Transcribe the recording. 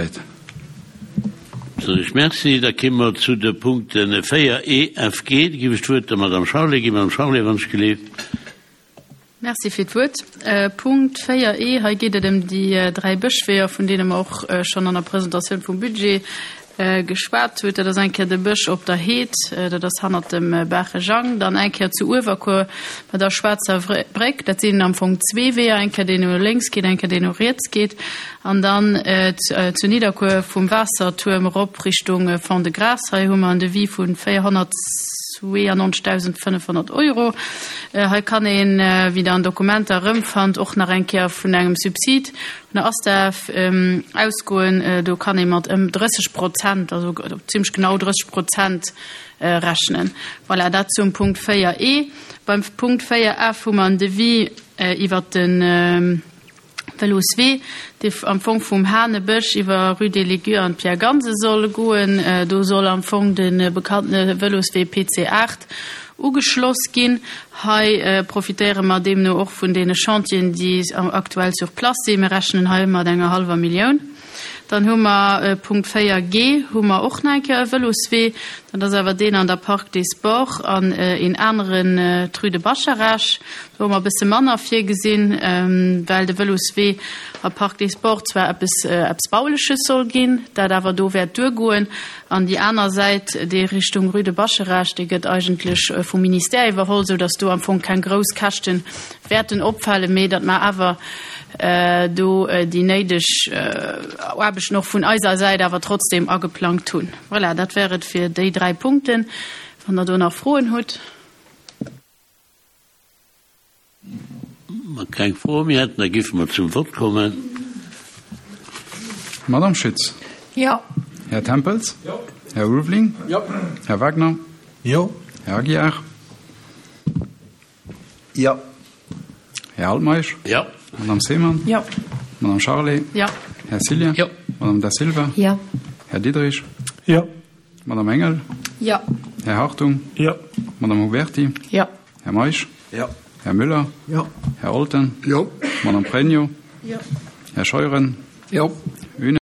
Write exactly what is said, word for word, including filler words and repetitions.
Zäit. Soen ech Merci. Da kéime mer zu de Punkten véier, E, F, G. Da géif ech d'Wuert der Madame Charlé ginn. Madame Charlé, wann ech geleeft. Merci fir d'Wuert. Punkt véier E, hei geet et ëm déi dräi Bëschweeër, vun deene mer och schonn an der Presentatioun vum Budget geschwat hutt. Dat ass eng Kéier de Bësch op der Heed, dat ass hannert dem Baache Jang, dann eng Kéier zu Uewerkuer bei der Schwaarzer Bréck, dat sinn am Fong zwee Weeër, eng Kéier deen no lénks geet, eng Kéier deen no riets geet, an dann zu Nidderkuer vum Waassertuerm erop Richtung Fond-de-Gras. Hei hu mer en Devis vu véierhonnertzweeannonzegdausendfënnefhonnert Euro. Hei kann een, wéi Der an Dokumenter erëmfannt, och nach eng Kéier vun engem Subsid vun der ASTA ausgoen. Do kann ee mat ëm drësseg Prozent, also zimlech genau drësseg Prozent rechnen. Voilà, dat zum Punkt véier E. Beim Punkt véier F hu mer en Devis iwwert de Vëloswee, dee am Fong vum Hanebësch iwwer Rue des Légues an d'Pierre Gansen soll goen. Do soll am Fong de bekannte Vëloswee P C aacht ugeschloss ginn. Hei profitéiere mer deemno och vun deene Chantieren, déi aktuell sur place sinn. Mir rechnen hei mat enger hallwer Millioun. Dann hu mer Punkt véier G, hu mer och nach eng Kéier e Vëloswee. Dat ass awer deen an der Parc des Sports an een aneren d'Rue de Bascharage. Do hu mer e bësse manner virgesinn, well de Vëloswee a Parc des Sports zwar eppes, eppes Bauleches soll ginn, dat awer do wäert duergoen. An déi aner Säit, déi Richtung Rue de Bascharage, déi gëtt eigentlech vum Ministère iwwerholl, sou datt do am Fong keng grouss Käschte wäerten opfalen, mee datt mer awer do déi néideg Aarbechten och vun eiser Säit awer trotzdem ageplangt hunn. Voilà, dat wär et fir déi dräi Punkten. Wann Der do nach Froen hutt. Wa keng Froe méi hätten, da géife mer zum Vott kommen. Madame Schütz. Jo. Här Tempels. Jo. Här Ulveling. Jo. Här Wagner. Jo. Här Aguiar. Jo. Här Altmeisch. Jo. Madame Seemann. Jo. Madame Charlé. Jo. Här Cillien. Jo. Madame Da Silva. Jo. Här Diderich. Jo. Madame Engel. Jo. Här Hartung. Jo. Madame Huberti. Jo. Här Meisch. Jo. Här Müller. Jo. Här Olten. Jo. Madame Pregno. Jo. Här Scheuren. Jo.